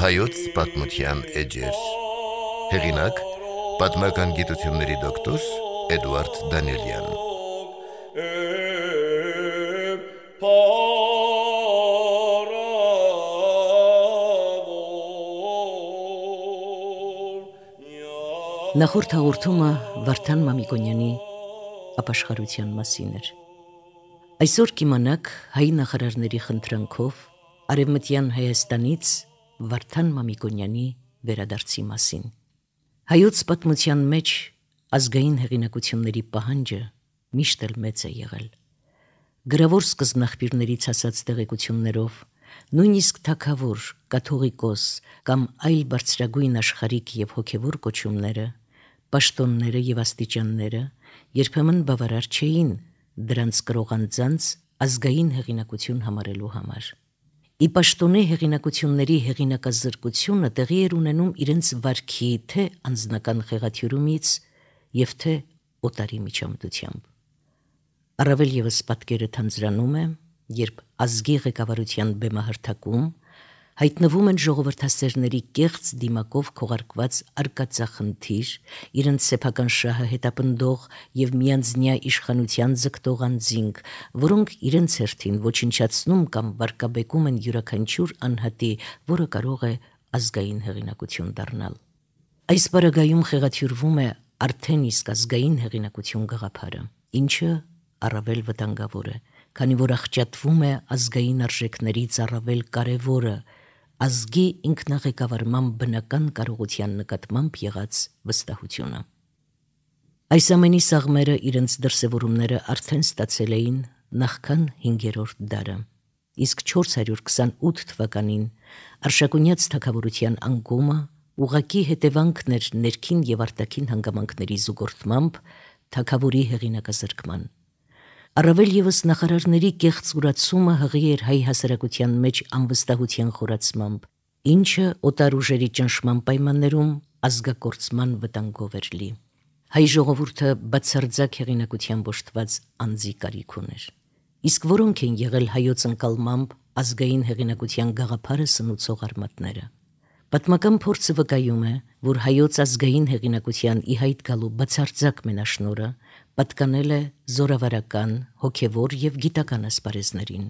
Հայոց պատմության էջեր։ Հեղինակ՝ պատմական գիտությունների դոկտոր Էդուարդ Դանիելյան։ Նախորդ հաղորդումը Վարդան Մամիկոնյանի ապաշխարության մասին էր։ Այսօր կիմանաք հայ նախարարների խնդրանքով Արևմտյան Հայաստանից Վարդան Մամիկոնյանի վերադարձի մասին։ Հայոց պատմության մեջ ազգային հեղինակությունների պահանջը միշտ էլ մեծ է եղել։ Գրավոր սկզբնաղբյուրներից ասած տեղեկություններով նույնիսկ թագավոր, կաթողիկոս կամ այլ բարձրագույն աշխարհիկ եւ հոգեվոր կոչումները, պաշտոնները եւ աստիճանները երբեմն բավարար չէին դրանց կրողանձանց ազգային հեղինակություն համարելու համար։ Ի պաշտոնե հեղինակությունների հեղինակազրկությունը տեղի էր ունենում իրենց վարքի թե անձնական խեղաթյուրումից եւ թե օտարի միջամտությամբ։ Առավել եւս պատկերը թանձրանում է, երբ ազգի ղեկավարության բեմահրթակում հայտնվում են ժողովրդասերների կեղծ դիմակով քողարկված արկածախնդիր, իրենց սեփական շահը հետապնդող եւ միանձնյա իշխանության ձգտող անձինք, որոնք իրենց հերթին ոչնչացնում կամ վարկաբեկում են յուրաքանչյուր անհատի, որը կարող է ազգային հեղինակություն դառնալ։ Այս պարագայում խեղաթյուրվում է արդեն իսկ ազգային հեղինակություն գաղափարը, ինչը առավել վտանգավոր է, քանի որ աղճատվում է ազգային արժեքներից առավել կարևորը ազգի ինքնաղեկավարման բնական կարողության նկատմամբ եղած վստահությունը։ Այս ամենի սաղմերը իրենց դրսևորումները արդեն ստացել էին նախքան 5-րդ դարը, իսկ 428 թվականին Արշակունյաց թագավորության անկումը ուղղակի հետևանքն էր ներքին եւ արտաքին հանգամանքների զուգորդմամբ թագավորի հեղինակազրկման։ Առավել եւս նախարարների կեղծուրացումը հղի էր հայ հասարակության մեջ անվստահության խորացմամբ, ինչը օտար ուժերի ճնշման պայմաններում ազգակործման վտանգով էր լի։ Հայ ժողովուրդը բացարձակ հեղինակությամբ օժտված անձի կարիք ուներ։ Իսկ որոնք են եղել հայոց ընկալմամբ ազգային հեղինակության գաղափարը սնուցող արմատները։ Պատմական փորձը վկայում է, որ հայոց ազգային հեղինակության ի հայտ գալու բացարձակ մենաշնորհը պատկանել է զորավարական, հոգևոր եւ գիտական ասպարեզներին։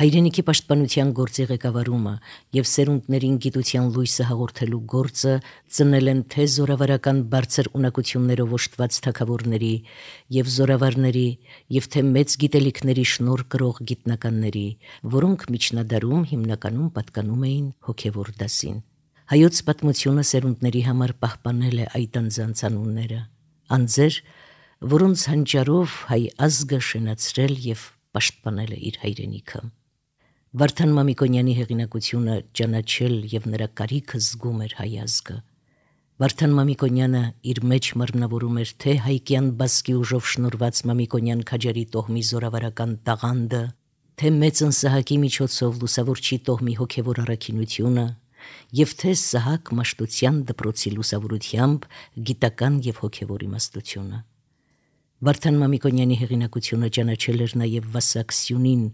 Հայրենիքի պաշտպանության գործի ղեկավարումը եւ սերունդներին գիտության լույսը հաղորդելու գործը ծնել են թե զորավարական բարձր ունակություններով օժտված թագավորների եւ զորավարների եւ թե մեծ գիտելիքների շնորհ կրող գիտնականների, որոնք միջնադարում հիմնականում պատկանում էին հոգևոր դասին։ Հայոց պատմությունը սերունդների համար պահպանել է այդ անձանց անունները, անձեր, որոնց հանճարով հայ ազգը շենացրել եւ պաշտպանել է իր հայրենիքը։ Վարդան Մամիկոնյանի հեղինակությունը ճանաչել եւ նրա կարիքը զգում էր հայ ազգը։ Վարդան Մամիկոնյանը իր մեջ մարմնավորում էր թե հայկյան բասկի ուժով շնորհված Մամիկոնյան քաջարի տոհմի զորավարական տաղանդը, թե մեծ Սահակի միջոցով լուսավորչի տոհմի հոգևոր առաքինությունը, եւ թե Սահակ Մաշտոցյան դպրոցի լուսավորությամբ գիտական եւ հոգևոր իմաստությունը։ Վարդան Մամիկոնյանի հեղինակությունը ճանաչել էր նաեւ Վասակ Սյունին,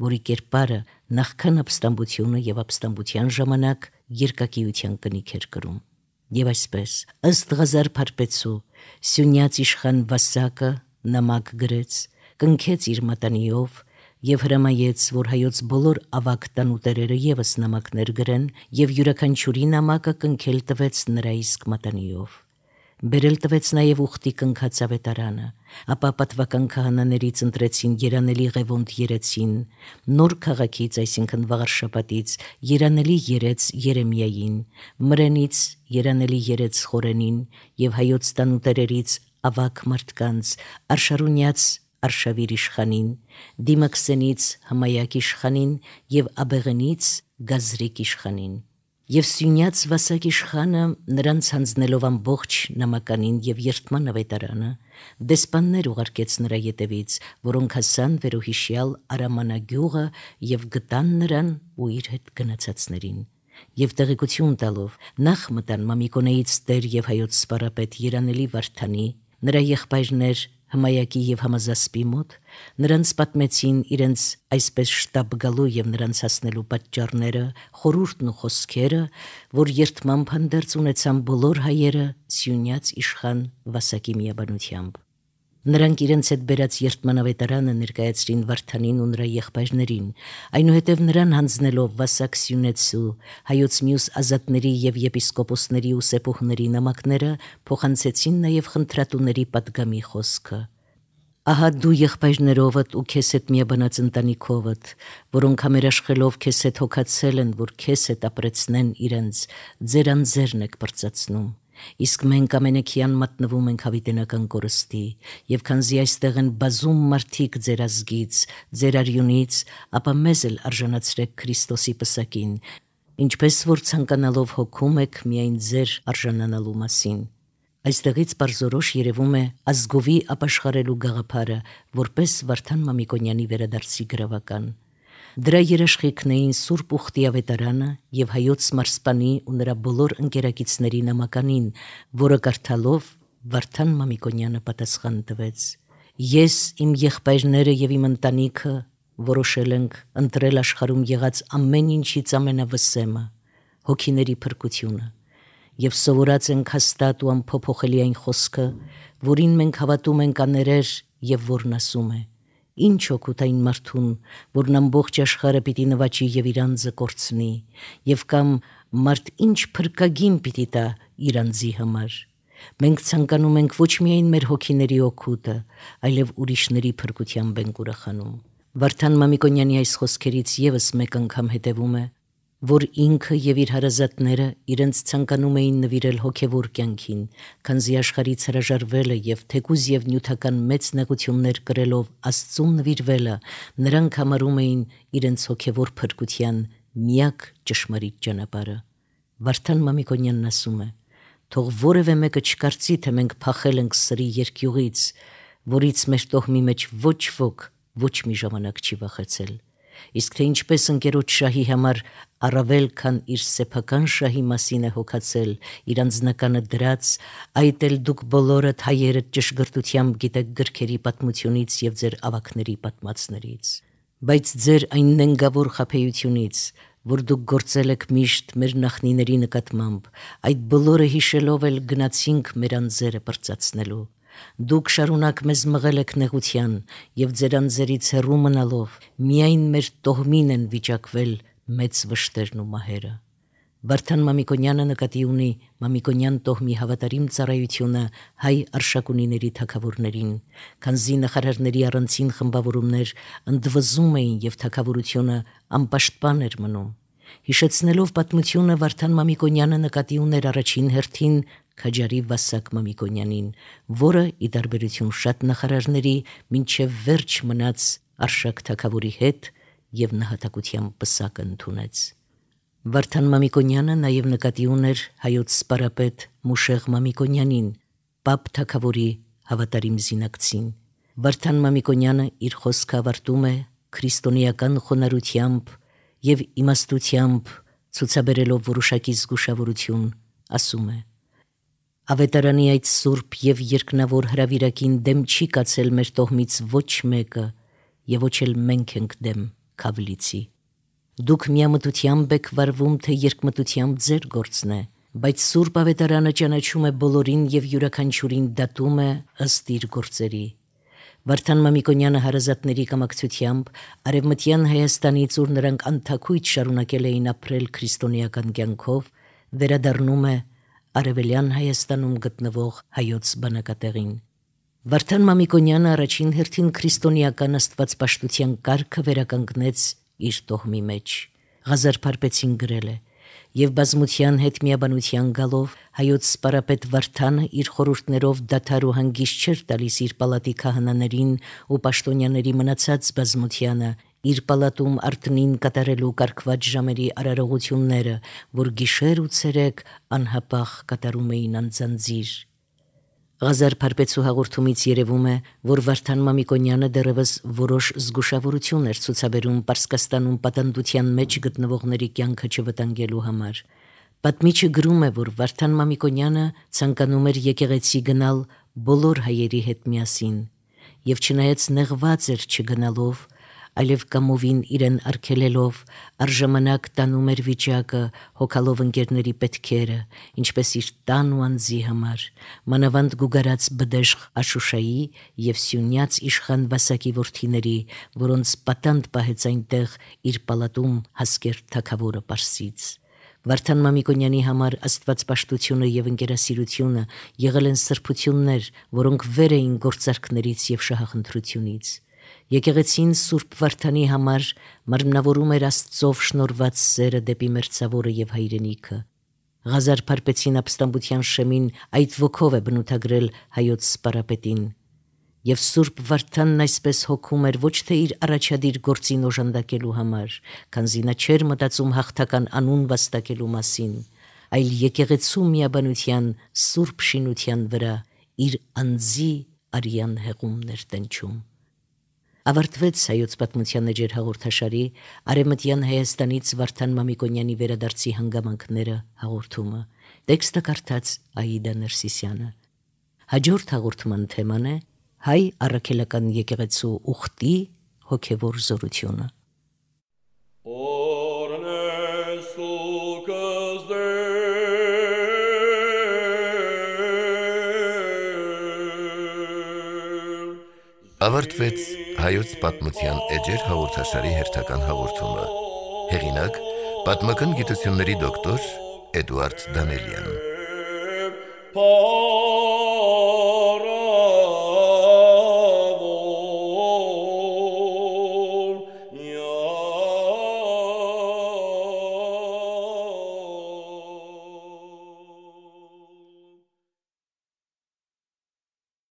որի կերպարը նախքան ապստամբությունը եւ ապստամբության ժամանակ երկակիության կնիք էր կրում։ Եվ այսպես, ըստ Ղազար Փարպեցու, Սյունյաց իշխան Վասակը նամակ գրեց, կնքեց իր մատանիով եւ հրամայեց, որ հայոց բոլոր ավագ տանուտերերը եւս նամակներ գրեն եւ յուրաքանչյուրի նամակը կնքել տվեց նրա իսկ մատանիով։ Բերել տվեց նաեւ ուխտի կնքած ավետարանը, ապա պատվական քահանաներից ընտրեցին Երանելի Ղևոնդ երեցին, Նոր քաղաքից, այսինքն Վաղարշապատից, Երանելի երեց Երեմիային, Մրենից Երանելի երեց Խորենին եւ հայոց տանուտերերից ավագ մարդկանց, Արշարունյաց Արշավիր իշխանին, Դիմաքսենից Հմայակ իշխանին եւ Աբեղենից Գազրիկ իշխանին։ Եվ Սյունյաց Վասակ իշխանը նրանց հանձնելով ամբողջ նամականին եւ երթման ավետարանը դեսպաններ ուղարկեց նրա ետևից, որոնք հասան վերոհիշյալ Արամանագյուղը եւ գտան նրան ու իր հետ գնացածներին։ Եվ տեղեկություն տալով նախ մտան Մամիկոնեից Տեր եւ հայոց սպարապետ Երանելի Վարդանի, նրա եղբայրներ Հմայակի եւ Համազասպի մոտ, նրանց պատմեցին իրենց այսպես շտապ գալու եւ նրանց հասնելու պատճառները, խորհուրդն ու խոսքերը, որ երթմամբ հանդերձ ունեցան բոլոր հայերը Սյունյաց իշխան Վասակի միաբանությամբ։ Նրանք իրենց հետ բերած երթմանավետարանը ներկայացրին Վարդանին ու նրա եղբայրներին, այնուհետև նրան հանձնելով Վասակ Սյունեցու, հայոց մյուս ազատների եւ եպիսկոպոսների ու սեպուհների նամակները, փոխանցեցին նաեւ խնդրատուների պատգամի խոսքը։ Ահա դու եղբայրներովդ ու քեզ հետ միաբանած ընտանիքովդ, որոնք համերաշխելով քեզ հետ հոգացել են, որ քեզ հետ ապրեցնեն իրենց, ձեր անձերն եք բրծացնում։ Իսկ մենք ամենեքյան մատնվում ենք հավիտենական կորստի, եւ քանզի այստեղ են բազում մարդիկ ձեր ազգից, ձեր արյունից, ապա մեզ էլ արժանացրեք Քրիստոսի պսակին, ինչպես որ ցանկանալով հոգում եք միայն ձեր արժանանալու մասին։ Այստեղից բարձորոշ երևում է ազգովի ապաշխարելու գաղափարը, որպես Վարդան Մամիկոնյանի վերադարձի գրավական։ Դրա երաշխիքն էին Սուրբ Ուխտի ավետարանը եւ հայոց մարսպանի ու նրա բոլոր ընկերակիցների նամականին, որը կարդալով Վարդան Մամիկոնյանը պատասխան տվեց. Ես, իմ եղբայրները եւ իմ ընտանիքը որոշել ենք ընտրել աշխարհում եղած ամեն ինչից ամենավսեմը, հոգիների փրկությունը, եւ սովորած ենք հաստատ ու անփոփոխելի այն խոսքը, որին մենք հավատում ենք աներեր եւ որն ասում է. Ինչ օգուտ այն մարդուն, որն ամբողջ աշխարհը պիտի նվաճի եւ իր անձը կորցնի, եւ կամ մարդ ինչ փրկագին պիտի տա իր անձի համար։ Մենք ցանկանում ենք ոչ միայն մեր հոգիների օգուտը, այլև ուրիշների փրկությամբ ենք ուրախանում։ Վարդան Մամիկոնյանի այս խոսքերից եւս մեկ անգամ հետևում է, որ ինքը եւ իր հարազատները իրենց ցանկանում էին նվիրել հոգևոր կյանքին, քանզի աշխարհից հրաժարվելը եւ թեկուզ եւ նյութական մեծ նեղություններ կրելով Աստծուն նվիրվելը նրանք համարում էին իրենց հոգևոր փրկության միակ ճշմարիտ ճանապարհը։ Վարդան Մամիկոնյանն ասում է. թող որևէ մեկը չկարծի, թե մենք փախել ենք սրի երկյուղից, որից մեր տոհմի մեջ ոչ ոք ոչ մի ժամանակ չի վախեցել։ Իսկ թե ինչպես ընկերոջ շահի համար առավել քան իր սեփական շահի մասին է հոգացել, իր անձնականը դրած, այդ էլ դուք բոլորդ հայերդ ճշգրտությամբ գիտեք գրքերի պատմությունից եւ ձեր ավակների պատմածներից։ Բայց ձեր այն նենգավոր խաբեությունից, որ դուք գործել եք միշտ մեր նախնիների նկատմամբ, այդ բոլորը հիշելով էլ գնացինք մեր անձերը բրծացնելու։ Դուք շարունակ մեզ մղել եք նեղության եւ ձեր անձերից հեռու մնալով միայն մեր տոհմին են վիճակվել մեծ վշտերն ու մահերը։ Վարդան Մամիկոնյանը նկատի ունի Մամիկոնյան տոհմի հավատարիմ ծառայությունը հայ արշակունիների թագավորներին, քանզի նախարարների առանցին խմբավորումներ ընդվզում էին եւ թագավորությունը անպաշտպան էր մնում։ Հիշեցնելով պատմությունը Վարդան Մամիկոնյանը նկատի ուներ առաջին հերթին Քաջարի Վասակ Մամիկոնյանին, որը ի տարբերություն շատ նախարարների մինչև վերջ մնաց արշակ թագավորի հետ եւ նահատակության պսակը ընդունեց։ Վարդան Մամիկոնյանը նաեւ նկատի ուներ հայոց սպարապետ Մուշեղ Մամիկոնյանին, Պապ թագավորի հավատարիմ զինակցին։ Վարդան Մամիկոնյանը իր խոսքը ավարտում է քրիստոնեական խոնարհությամբ եւ իմաստությամբ ցուցաբերելով որոշակի զգուշավորություն, ասում է. Ավետարանի այդ սուրբ եւ երկնավոր հրավիրակին դեմ չի կացել մեր տոհմից ոչ մեկը եւ ոչ էլ մենք ենք դեմ Քավլիցի։ Դուք միամտությամբ եք վարվում, թե երկմտությամբ ձեր գործն է, բայց սուրբ ավետարանը ճանաչում է բոլորին եւ յուրաքանչյուրին դատում է ըստ իր գործերի։ Վարդան Մամիկոնյանը հարազատների կամակցությամբ Արևմտյան Հայաստանից, ուր նրանք անթաքույց շարունակել էին ապրել քրիստոնեական կյանքով, վերադառնում է Արևելյան Հայաստանում գտնվող հայոց բնակատեղին։ Վարդան Մամիկոնյանը առաջին հերթին քրիստոնեական աստվածպաշտության կարգը վերականգնեց իր տոհմի մեջ։ Ղազար Փարպեցին գրել է. եւ բազմության հետ միաբանության գալով հայոց սպարապետ Վարդանը իր խորհուրդներով դադար ու հանգիստ չէր տալիս իր պալատի քահանաներին ու պաշտոնյաների մնացած բազմությանը, իր պալատում արտնին կատարելու կարգված ժամերի արարողությունները, որ գիշեր ու ցերեկ անհապաղ կատարում էին անձանձիր։ Ղազար Փարպեցու հաղորդումից երևում է, որ Վարդան Մամիկոնյանը դեռևս որոշ զգուշավորություն էր ցուցաբերում Պարսկաստանում պատանդության մեջ գտնվողների կյանքը չվտանգելու համար։ Պատմիչը գրում է, որ Վարդան Մամիկոնյանը ցանկանում էր եկեղեցի գնալ բոլոր հայերի հետ միասին, եւ չնայած նեղված էր չգնալով, այլև կամովին իրեն արգելելով, առժամանակ տանում էր վիճակը, հոգալով ընկերների պետքերը, ինչպես իր տան ու անձի համար, մանավանդ գուգարած բդեշխ Աշուշայի եւ Սյունյաց իշխան Վասակի որդիների, որոնց պատանդ պահեց այնտեղ իր պալատում հասկեր թագավորը Պարսից։ Վարդան Մամիկոնյանի համար աստվածպաշտությունը եւ ընկերասիրությունը եղել են սրբություններ, որոնք վեր էին գործարքներից եւ շահախնդրությունից։ Եկեղեցին Սուրբ Վարդանի համար մարմնավորում էր Աստծով շնորհված սերը դեպի մերձավորը եւ հայրենիքը։ Ղազար Փարպեցին ապստամբության շեմին այդ ոգով է բնութագրել հայոց սպարապետին։ Եվ Սուրբ Վարդանն այսպես հոգում էր ոչ թե իր առաջադիր գործին օժանդակելու համար, քանզի նա չէր մտածում հաղթական անուն վաստակելու մասին, այլ եկեղեցու միաբանության սուրբ շինության վրա իր անձի արյան հեղումներ տնչում։ Ավարտվեց հայոց պատմության էջեր հաղորդաշարի Արևմտյան Հայաստանից Վարդան Մամիկոնյանի վերադարձի հանգամանքները հաղորդումը։ Տեքստը կարդաց Աիդա Ներսիսյանը։ Հաջորդ հաղորդման թեման է հայ առաքելական եկեղեցու ուխտի հոգևոր զորությունը։ Ավարտվեց հայոց պատմության էջեր հաղորդաշարի հերթական հաղորդումը։ Հեղինակ՝ պատմական գիտությունների դոկտոր Էդուարդ Դանելյան։